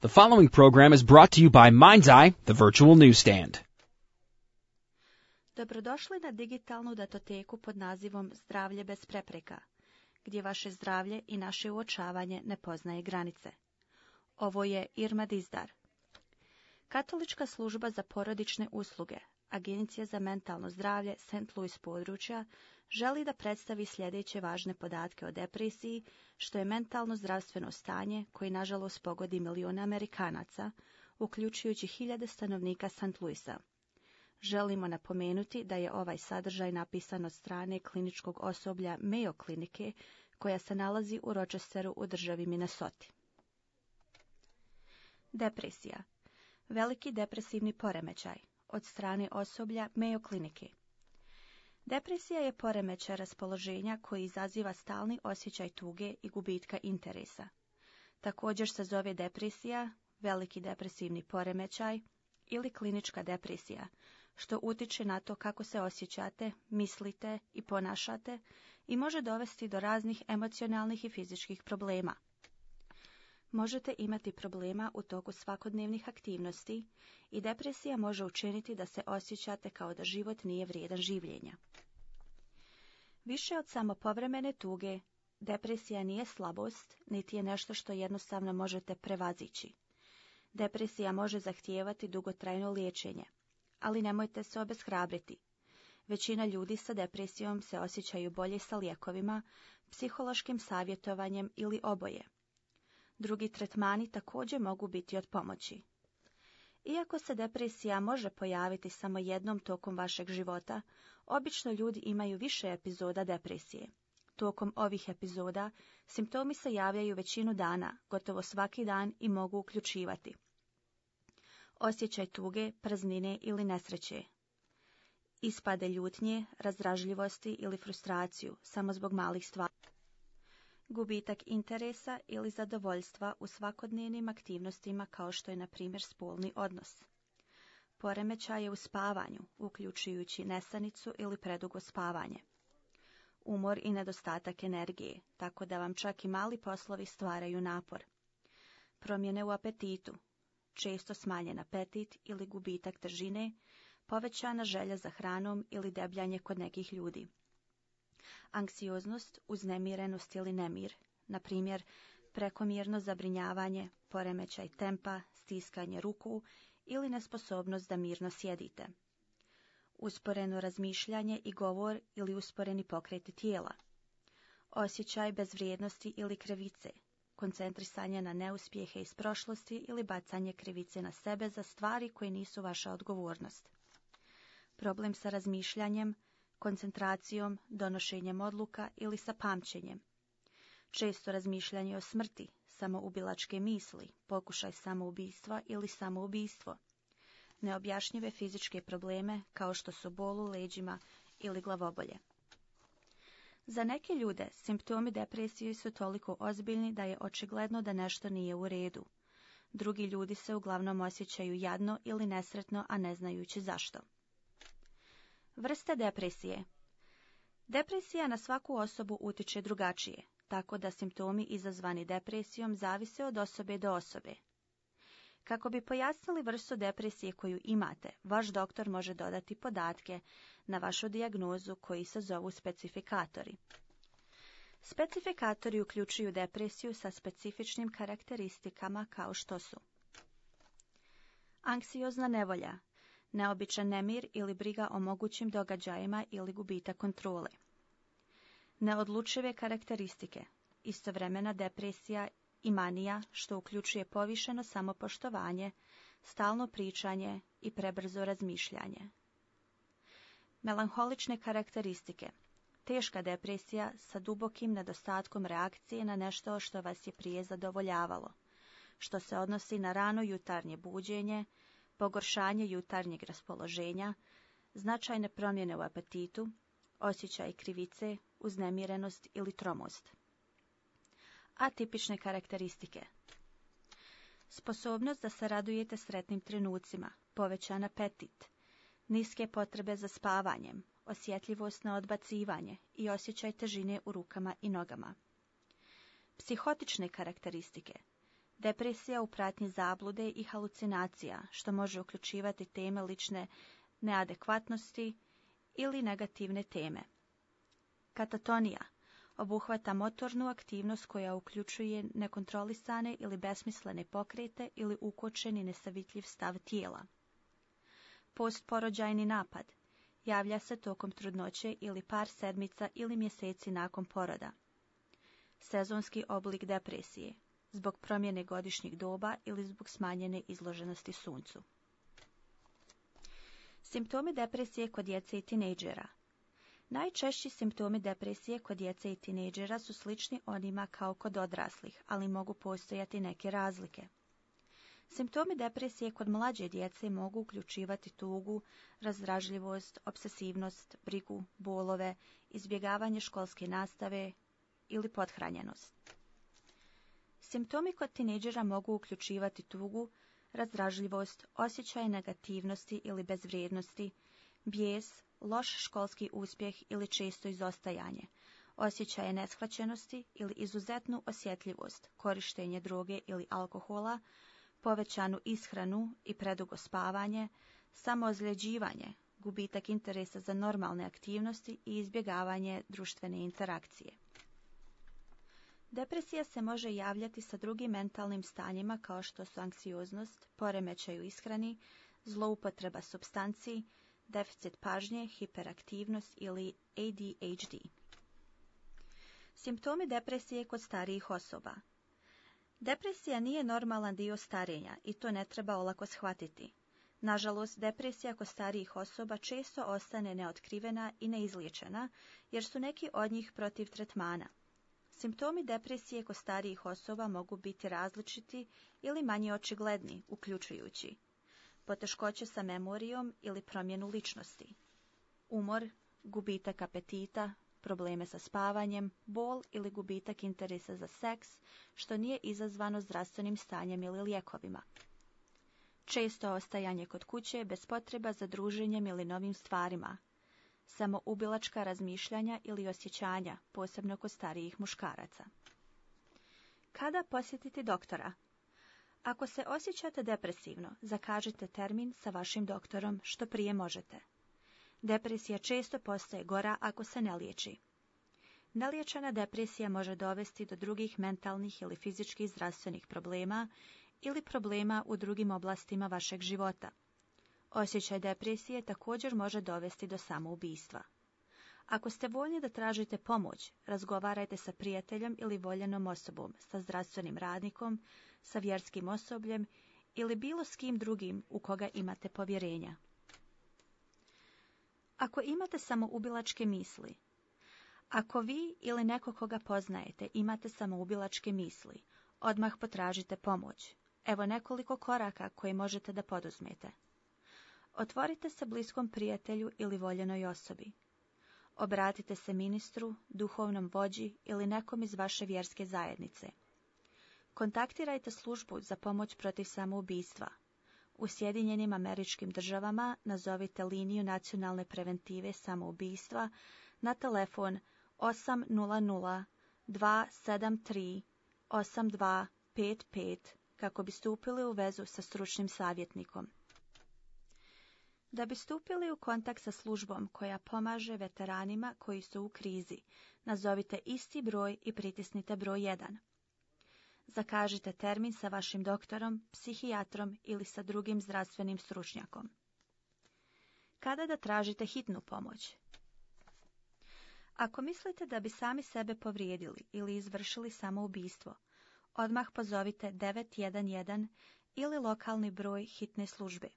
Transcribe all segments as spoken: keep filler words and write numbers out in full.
The following program is brought to you by Mind's-Eye, the virtual newsstand. Dobrodošli na digitalnu datoteku pod nazivom Zdravlje bez prepreka, gdje vaše zdravlje i naše uočavanje ne poznaje granice. Ovo je Irma Dizdar. Katolička služba za porodične usluge, Agencija za mentalno zdravlje Saint Louis područja, želi da predstavi sljedeće važne podatke o depresiji, što je mentalno zdravstveno stanje koje nažalost pogodi milijune Amerikanaca, uključujući hiljade stanovnika Saint Louisa. Želimo napomenuti da je ovaj sadržaj napisan od strane kliničkog osoblja Mayo klinike, koja se nalazi u Rochesteru u državi Minnesota. Depresija. Veliki depresivni poremećaj od strane osoblja Mayo klinike. Depresija je poremećaj raspoloženja koji izaziva stalni osjećaj tuge i gubitka interesa. Također se zove depresija, veliki depresivni poremećaj ili klinička depresija, što utiče na to kako se osjećate, mislite i ponašate i može dovesti do raznih emocionalnih i fizičkih problema. Možete imati problema u toku svakodnevnih aktivnosti i depresija može učiniti da se osjećate kao da život nije vrijedan življenja. Više od samo povremene tuge, depresija nije slabost, niti je nešto što jednostavno možete prevazići. Depresija može zahtijevati dugotrajno liječenje, ali nemojte se obeshrabriti. Većina ljudi sa depresijom se osjećaju bolje sa lijekovima, psihološkim savjetovanjem ili oboje. Drugi tretmani također mogu biti od pomoći. Iako se depresija može pojaviti samo jednom tokom vašeg života, obično ljudi imaju više epizoda depresije. Tokom ovih epizoda simptomi se javljaju većinu dana, gotovo svaki dan i mogu uključivati osjećaj tuge, praznine ili nesreće, ispade ljutnje, razdražljivosti ili frustraciju samo zbog malih stvari, gubitak interesa ili zadovoljstva u svakodnevnim aktivnostima kao što je na primjer spolni odnos, poremećaje u spavanju, uključujući nesanicu ili predugo spavanje, umor i nedostatak energije, tako da vam čak i mali poslovi stvaraju napor, promjene u apetitu, često smanjen apetit ili gubitak težine, povećana želja za hranom ili debljanje kod nekih ljudi. Anksioznost, uznemirenost ili nemir, na primjer prekomjerno zabrinjavanje, poremećaj tempa, stiskanje ruku ili nesposobnost da mirno sjedite. Usporeno razmišljanje i govor ili usporeni pokreti tijela. Osjećaj bezvrijednosti ili krivice, koncentrisanje na neuspjehe iz prošlosti ili bacanje krivice na sebe za stvari koje nisu vaša odgovornost. Problem sa razmišljanjem, koncentracijom, donošenjem odluka ili sa pamćenjem. Često razmišljanje o smrti, samoubilačke misli, pokušaj samoubistva ili samoubistvo. Neobjašnjive fizičke probleme kao što su bol u leđima ili glavobolje. Za neke ljude simptomi depresije su toliko ozbiljni da je očigledno da nešto nije u redu. Drugi ljudi se uglavnom osjećaju jadno ili nesretno, a ne znajući zašto. Vrste depresije. Depresija na svaku osobu utiče drugačije, tako da simptomi izazvani depresijom zavise od osobe do osobe. Kako bi pojasnili vrstu depresije koju imate, vaš doktor može dodati podatke na vašu dijagnozu koji se zovu specifikatori. Specifikatori uključuju depresiju sa specifičnim karakteristikama kao što su anksiozna nevolja, neobičan nemir ili briga o mogućim događajima ili gubitak kontrole. Neodlučive karakteristike, istovremena depresija i manija, što uključuje povišeno samopoštovanje, stalno pričanje i prebrzo razmišljanje. Melanholične karakteristike, teška depresija sa dubokim nedostatkom reakcije na nešto što vas je prije zadovoljavalo, što se odnosi na rano jutarnje buđenje, pogoršanje jutarnjeg raspoloženja, značajne promjene u apetitu, osjećaj krivice, uznemirenost ili tromost. Atipične karakteristike. Sposobnost da se radujete sretnim trenucima, povećan apetit, niske potrebe za spavanjem, osjetljivost na odbacivanje i osjećaj težine u rukama i nogama. Psihotične karakteristike. Depresija u pratnji zablude i halucinacija, što može uključivati teme lične neadekvatnosti ili negativne teme. Katatonija obuhvata motornu aktivnost koja uključuje nekontrolisane ili besmislene pokrete ili ukočeni nesavitljiv stav tijela. Postporođajni napad javlja se tokom trudnoće ili par sedmica ili mjeseci nakon poroda. Sezonski oblik depresije zbog promjene godišnjeg doba ili zbog smanjene izloženosti suncu. Simptomi depresije kod djece i tinejdžera. Najčešći simptomi depresije kod djece i tinejdžera su slični onima kao kod odraslih, ali mogu postojati neke razlike. Simptomi depresije kod mlađe djece mogu uključivati tugu, razdražljivost, obsesivnost, brigu, bolove, izbjegavanje školske nastave ili pothranjenost. Simptomi kod tinejdžera mogu uključivati tugu, razdražljivost, osjećaj negativnosti ili bezvrijednosti, bijes, loš školski uspjeh ili često izostajanje, osjećaje neshvaćenosti ili izuzetnu osjetljivost, korištenje droge ili alkohola, povećanu ishranu i predugo spavanje, samoozljeđivanje, gubitak interesa za normalne aktivnosti i izbjegavanje društvene interakcije. Depresija se može javljati sa drugim mentalnim stanjima kao što su anksioznost, poremećaj u ishrani, zloupotreba supstanciji, deficit pažnje, hiperaktivnost ili A D H D. Simptomi depresije kod starijih osoba. Depresija nije normalan dio starenja i to ne treba olako shvatiti. Nažalost, depresija kod starijih osoba često ostane neotkrivena i neizliječena, jer su neki od njih protiv tretmana. Simptomi depresije kod starijih osoba mogu biti različiti ili manje očigledni, uključujući poteškoće sa memorijom ili promjenu ličnosti, umor, gubitak apetita, probleme sa spavanjem, bol ili gubitak interesa za seks, što nije izazvano zdravstvenim stanjem ili lijekovima. Često ostajanje kod kuće bez potreba za druženjem ili novim stvarima, samoubilačka razmišljanja ili osjećanja, posebno kod starijih muškaraca. Kada posjetiti doktora? Ako se osjećate depresivno, zakažite termin sa vašim doktorom što prije možete. Depresija često postaje gora ako se ne liječi. Neliječena depresija može dovesti do drugih mentalnih ili fizičkih zdravstvenih problema ili problema u drugim oblastima vašeg života. Osjećaj depresije također može dovesti do samoubistva. Ako ste voljni da tražite pomoć, razgovarajte sa prijateljem ili voljenom osobom, sa zdravstvenim radnikom, sa vjerskim osobljem ili bilo s kim drugim u koga imate povjerenja. Ako imate samoubilačke misli, ako vi ili neko koga poznajete imate samoubilačke misli, odmah potražite pomoć. Evo nekoliko koraka koje možete da poduzmete. Otvorite se bliskom prijatelju ili voljenoj osobi. Obratite se ministru, duhovnom vođi ili nekom iz vaše vjerske zajednice. Kontaktirajte službu za pomoć protiv samoubistva. U Sjedinjenim Američkim Državama nazovite liniju nacionalne preventive samoubistva na telefon osam nula nula dva sedam tri osam dva pet pet kako bi stupili u vezu sa stručnim savjetnikom. Da bi stupili u kontakt sa službom koja pomaže veteranima koji su u krizi, nazovite isti broj i pritisnite broj jedan. Zakažite termin sa vašim doktorom, psihijatrom ili sa drugim zdravstvenim stručnjakom. Kada da tražite hitnu pomoć? Ako mislite da bi sami sebe povrijedili ili izvršili samoubistvo, odmah pozovite devet jedan jedan ili lokalni broj hitne službe.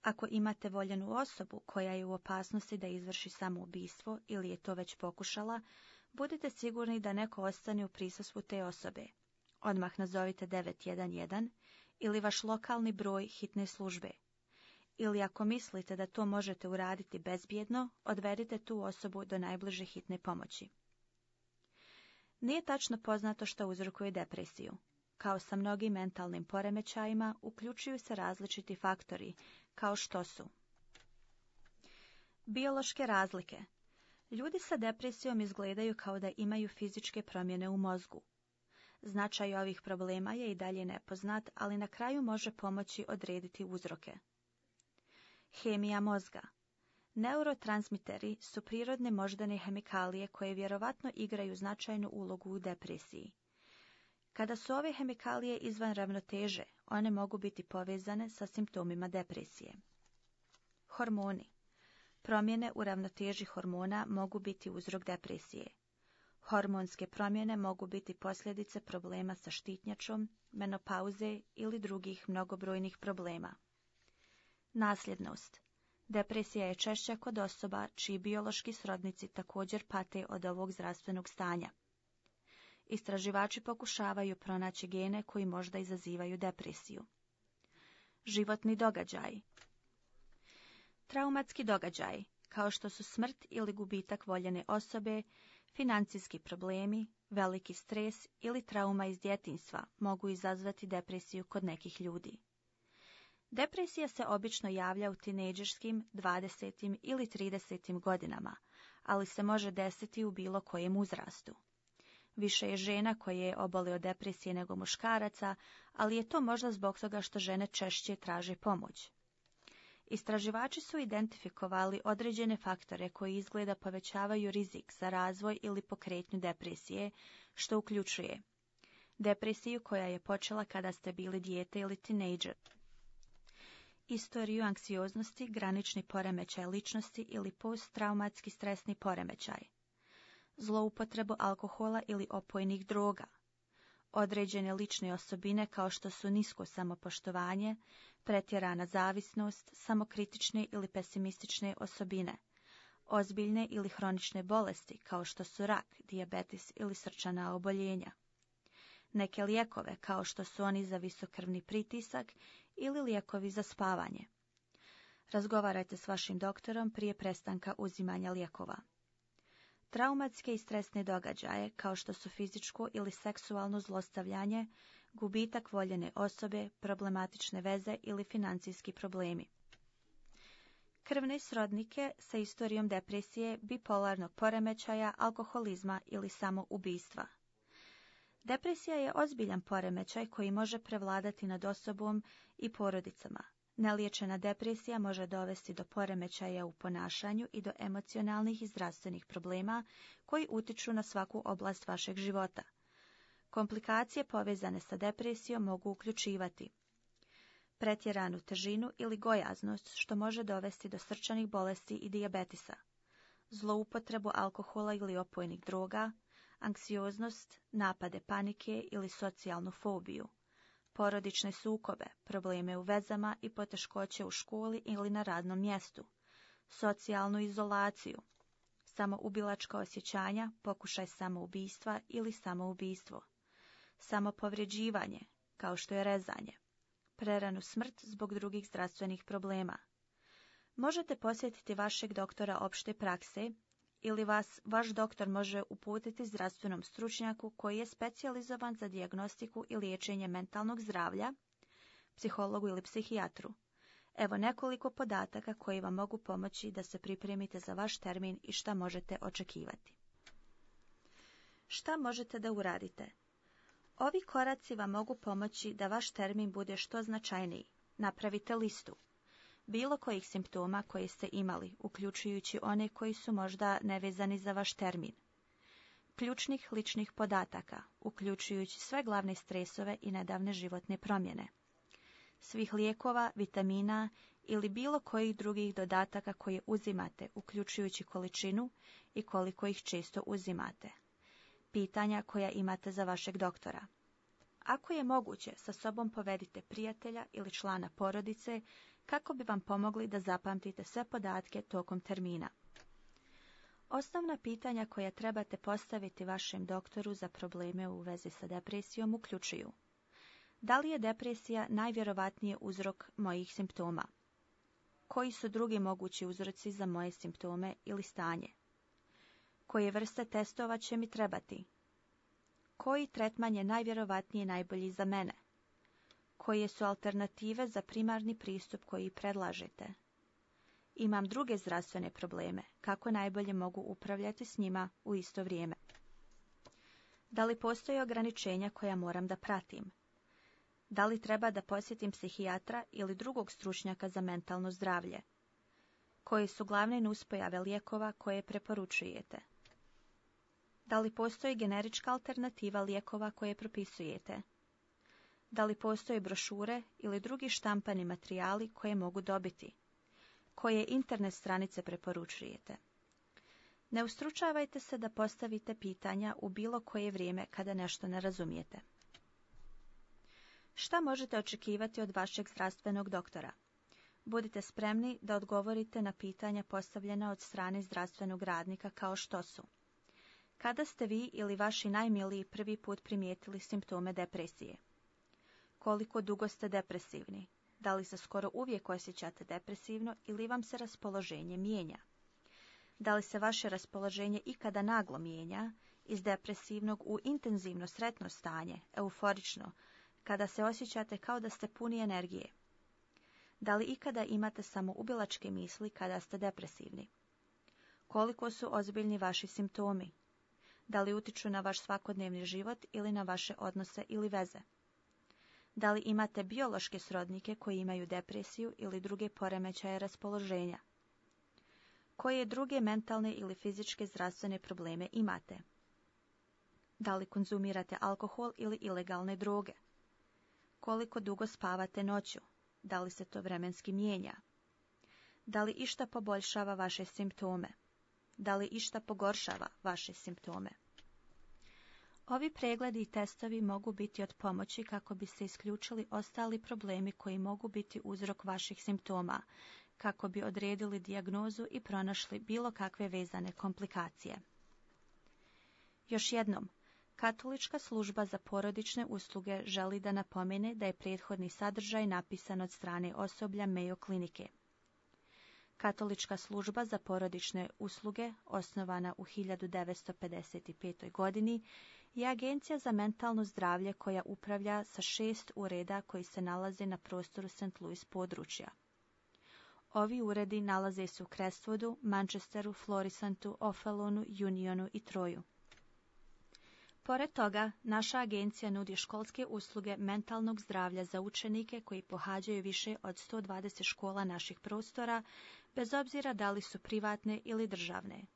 Ako imate voljenu osobu koja je u opasnosti da izvrši samoubistvo ili je to već pokušala, budite sigurni da neko ostane u prisustvu te osobe. Odmah nazovite devet jedan jedan ili vaš lokalni broj hitne službe. Ili ako mislite da to možete uraditi bezbjedno, odvedite tu osobu do najbliže hitne pomoći. Nije tačno poznato što uzrokuje depresiju. Kao sa mnogim mentalnim poremećajima, uključuju se različiti faktori, kao što su biološke razlike. Ljudi sa depresijom izgledaju kao da imaju fizičke promjene u mozgu. Značaj ovih problema je i dalje nepoznat, ali na kraju može pomoći odrediti uzroke. Hemija mozga. Neurotransmiteri su prirodne moždane hemikalije koje vjerovatno igraju značajnu ulogu u depresiji. Kada su ove hemikalije izvan ravnoteže, one mogu biti povezane sa simptomima depresije. Hormoni. Promjene u ravnoteži hormona mogu biti uzrok depresije. Hormonske promjene mogu biti posljedice problema sa štitnjačom, menopauze ili drugih mnogobrojnih problema. Nasljednost. Depresija je češća kod osoba čiji biološki srodnici također pate od ovog zdravstvenog stanja. Istraživači pokušavaju pronaći gene koji možda izazivaju depresiju. Životni događaji. Traumatski događaji, kao što su smrt ili gubitak voljene osobe, financijski problemi, veliki stres ili trauma iz djetinjstva mogu izazvati depresiju kod nekih ljudi. Depresija se obično javlja u tinejdžerskim, dvadesetim ili tridesetim godinama, ali se može desiti u bilo kojem uzrastu. Više je žena koje obole od depresije nego muškaraca, ali je to možda zbog toga što žene češće traže pomoć. Istraživači su identifikovali određene faktore koji izgleda povećavaju rizik za razvoj ili pokretnju depresije, što uključuje depresiju koja je počela kada ste bili dijete ili tinejdžer, istoriju anksioznosti, granični poremećaj ličnosti ili posttraumatski stresni poremećaj, zloupotrebu alkohola ili opojnih droga, određene lične osobine kao što su nisko samopoštovanje, pretjerana zavisnost, samokritične ili pesimistične osobine, ozbiljne ili hronične bolesti kao što su rak, dijabetes ili srčana oboljenja, neke lijekove kao što su oni za visokrvni pritisak ili lijekovi za spavanje. Razgovarajte s vašim doktorom prije prestanka uzimanja lijekova. Traumatske i stresne događaje, kao što su fizičko ili seksualno zlostavljanje, gubitak voljene osobe, problematične veze ili financijski problemi. Krvne srodnike sa istorijom depresije, bipolarnog poremećaja, alkoholizma ili samoubistva. Depresija je ozbiljan poremećaj koji može prevladati nad osobom i porodicama. Neliječena depresija može dovesti do poremećaja u ponašanju i do emocionalnih i zdravstvenih problema koji utiču na svaku oblast vašeg života. Komplikacije povezane sa depresijom mogu uključivati pretjeranu težinu ili gojaznost, što može dovesti do srčanih bolesti i dijabetisa, zloupotrebu alkohola ili opojnih droga, anksioznost, napade panike ili socijalnu fobiju, porodične sukobe, probleme u vezama i poteškoće u školi ili na radnom mjestu, socijalnu izolaciju, samoubilačka osjećanja, pokušaj samoubistva ili samoubistvo, samopovređivanje, kao što je rezanje, preranu smrt zbog drugih zdravstvenih problema. Možete posjetiti vašeg doktora opšte prakse ili vas vaš doktor može uputiti zdravstvenom stručnjaku koji je specijalizovan za dijagnostiku i liječenje mentalnog zdravlja, psihologu ili psihijatru. Evo nekoliko podataka koji vam mogu pomoći da se pripremite za vaš termin i šta možete očekivati. Šta možete da uradite? Ovi koraci vam mogu pomoći da vaš termin bude što značajniji. Napravite listu bilo kojih simptoma koje ste imali, uključujući one koji su možda nevezani za vaš termin. Ključnih ličnih podataka, uključujući sve glavne stresove i nedavne životne promjene. Svih lijekova, vitamina ili bilo kojih drugih dodataka koje uzimate, uključujući količinu i koliko ih često uzimate. Pitanja koja imate za vašeg doktora. Ako je moguće, sa sobom povedite prijatelja ili člana porodice kako bi vam pomogli da zapamtite sve podatke tokom termina. Osnovna pitanja koja trebate postaviti vašem doktoru za probleme u vezi sa depresijom uključuju: da li je depresija najvjerovatniji uzrok mojih simptoma? Koji su drugi mogući uzroci za moje simptome ili stanje? Koje vrste testova će mi trebati? Koji tretman je najvjerovatnije najbolji za mene? Koje su alternative za primarni pristup koji predlažete? Imam druge zdravstvene probleme, kako najbolje mogu upravljati s njima u isto vrijeme? Da li postoje ograničenja koja moram da pratim? Da li treba da posjetim psihijatra ili drugog stručnjaka za mentalno zdravlje? Koje su glavne nuspojave lijekova koje preporučujete? Da li postoji generička alternativa lijekova koje propisujete? Da li postoje brošure ili drugi štampani materijali koje mogu dobiti? Koje internet stranice preporučujete? Ne ustručavajte se da postavite pitanja u bilo koje vrijeme kada nešto ne razumijete. Šta možete očekivati od vašeg zdravstvenog doktora? Budite spremni da odgovorite na pitanja postavljena od strane zdravstvenog radnika kao što su: kada ste vi ili vaši najmiliji prvi put primijetili simptome depresije? Koliko dugo ste depresivni? Da li se skoro uvijek osjećate depresivno ili vam se raspoloženje mijenja? Da li se vaše raspoloženje ikada naglo mijenja iz depresivnog u intenzivno sretno stanje, euforično, kada se osjećate kao da ste puni energije? Da li ikada imate samoubilačke misli kada ste depresivni? Koliko su ozbiljni vaši simptomi? Da li utiču na vaš svakodnevni život ili na vaše odnose ili veze? Da li imate biološke srodnike koji imaju depresiju ili druge poremećaje raspoloženja? Koje druge mentalne ili fizičke zdravstvene probleme imate? Da li konzumirate alkohol ili ilegalne droge? Koliko dugo spavate noću? Da li se to vremenski mijenja? Da li išta poboljšava vaše simptome? Da li išta pogoršava vaše simptome? Ovi pregledi i testovi mogu biti od pomoći kako bi se isključili ostali problemi koji mogu biti uzrok vaših simptoma, kako bi odredili dijagnozu i pronašli bilo kakve vezane komplikacije. Još jednom, Katolička služba za porodične usluge želi da napomene da je prethodni sadržaj napisan od strane osoblja Mayo klinike. Katolička služba za porodične usluge, osnovana u hiljadu devetsto pedeset petoj. godini, je agencija za mentalno zdravlje koja upravlja sa šest ureda koji se nalaze na prostoru Saint Louis područja. Ovi uredi nalaze se u Crestwoodu, Manchesteru, Florisantu, O'Fallonu, Unionu i Troju. Pored toga, naša agencija nudi školske usluge mentalnog zdravlja za učenike koji pohađaju više od sto dvadeset škola naših prostora, bez obzira da li su privatne ili državne.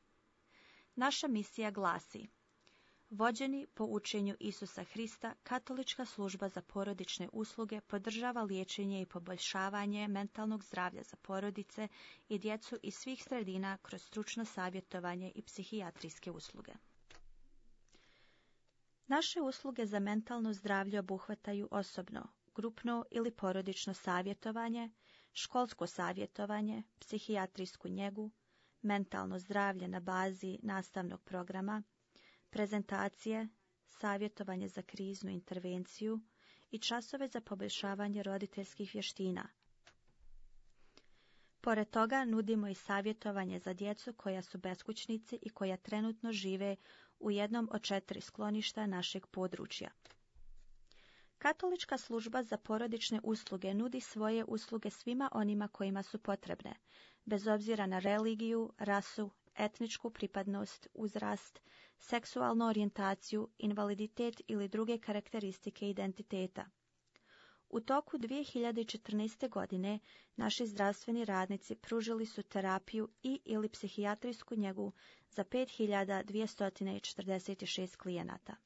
Naša misija glasi: vođeni po učenju Isusa Hrista, Katolička služba za porodične usluge podržava liječenje i poboljšavanje mentalnog zdravlja za porodice i djecu iz svih sredina kroz stručno savjetovanje i psihijatrijske usluge. Naše usluge za mentalno zdravlje obuhvataju osobno, grupno ili porodično savjetovanje, školsko savjetovanje, psihijatrijsku njegu, mentalno zdravlje na bazi nastavnog programa, prezentacije, savjetovanje za kriznu intervenciju i časove za poboljšavanje roditeljskih vještina. Pored toga nudimo i savjetovanje za djecu koja su beskućnici i koja trenutno žive u jednom od četiri skloništa našeg područja. Katolička služba za porodične usluge nudi svoje usluge svima onima kojima su potrebne, bez obzira na religiju, rasu, etničku pripadnost, uzrast, seksualnu orijentaciju, invaliditet ili druge karakteristike identiteta. U toku dvije hiljade četrnaeste. godine naši zdravstveni radnici pružili su terapiju i ili psihijatrijsku njegu za pet hiljada dvjesto četrdeset šest klijenata.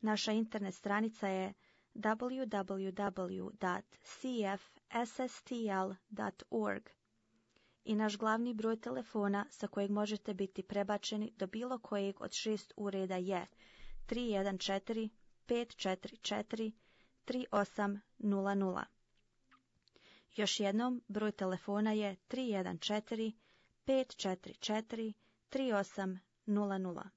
Naša internet stranica je w w w dot c f s s t l dot org i naš glavni broj telefona sa kojeg možete biti prebačeni do bilo kojeg od šest ureda je tri jedan četiri pet četiri četiri tri osam nula nula. Još jednom, broj telefona je tri jedan četiri pet četiri četiri tri osam nula nula.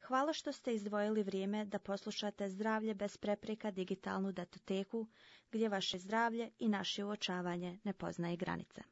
Hvala što ste izdvojili vrijeme da poslušate Zdravlje bez prepreka digitalnu datoteku, gdje vaše zdravlje i naše uočavanje ne poznaje granice.